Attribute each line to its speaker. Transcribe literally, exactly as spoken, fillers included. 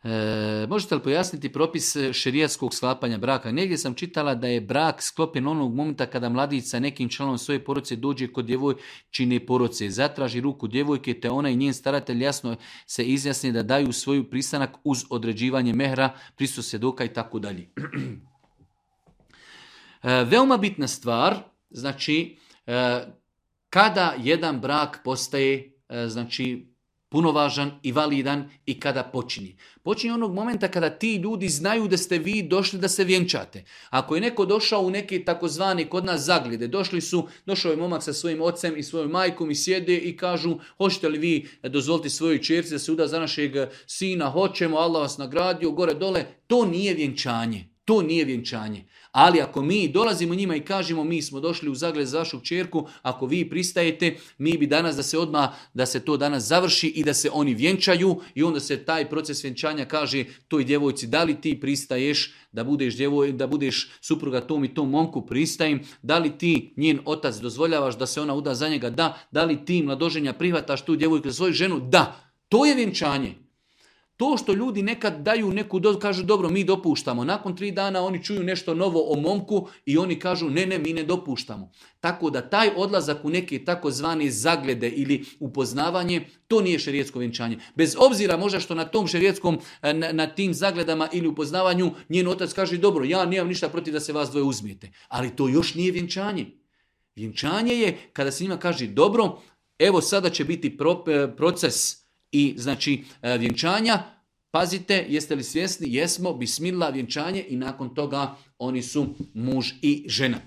Speaker 1: E, možete li pojasniti propis šerijatskog sklapanja braka? Negdje sam čitala da je brak sklopljen onog momenta kada mladić sa nekim članom svoje porodice dođe kod djevojčine porodice, zatraži ruku djevojke, te ona i njen staratelj jasno se izjasni da daju svoju pristanak uz određivanje mehra, prisustvo svjedoka i tako dalje. Veoma bitna stvar, znači, kada jedan brak postaje, znači, punovažan i validan i kada počinje. Počinje onog momenta kada ti ljudi znaju da ste vi došli da se vjenčate. Ako je neko došao u neke takozvane kod nas zagljede, došli su, došao je momak sa svojim ocem i svojom majkom i sjede i kažu, hoćete li vi dozvoliti svojoj ćerci da se uda za našeg sina, hoćemo, Allah vas nagradio, gore dole, to nije vjenčanje. To nije vjenčanje. Ali ako mi dolazimo njima i kažemo mi smo došli u zagled za vašu kćerku, ako vi pristajete, mi bi danas da se odmah, da se to danas završi i da se oni vjenčaju i onda se taj proces vjenčanja kaže toj djevojci da li ti pristaješ da budeš, djevoj, da budeš supruga tom i tom momku, pristajem, da li ti njen otac dozvoljavaš da se ona uda za njega, da, da li ti mladoženja prihvataš tu djevojku za svoju ženu, da, to je vjenčanje. To što ljudi nekad daju neku dozu, kažu dobro mi dopuštamo, nakon tri dana oni čuju nešto novo o momku i oni kažu ne, ne, mi ne dopuštamo. Tako da taj odlazak u neke takozvane zaglede ili upoznavanje, to nije šerijatsko vjenčanje. Bez obzira možda što na tom šerijetskom, na, na tim zagledama ili upoznavanju njen otac kaže dobro, ja nemam ništa protiv da se vas dvoje uzmijete. Ali to još nije vjenčanje. Vjenčanje je kada se njima kaže dobro, evo sada će biti pro, proces i znači vjenčanja, pazite, jeste li svjesni? Jesmo, bismillah, vjenčanje i nakon toga oni su muž i žena.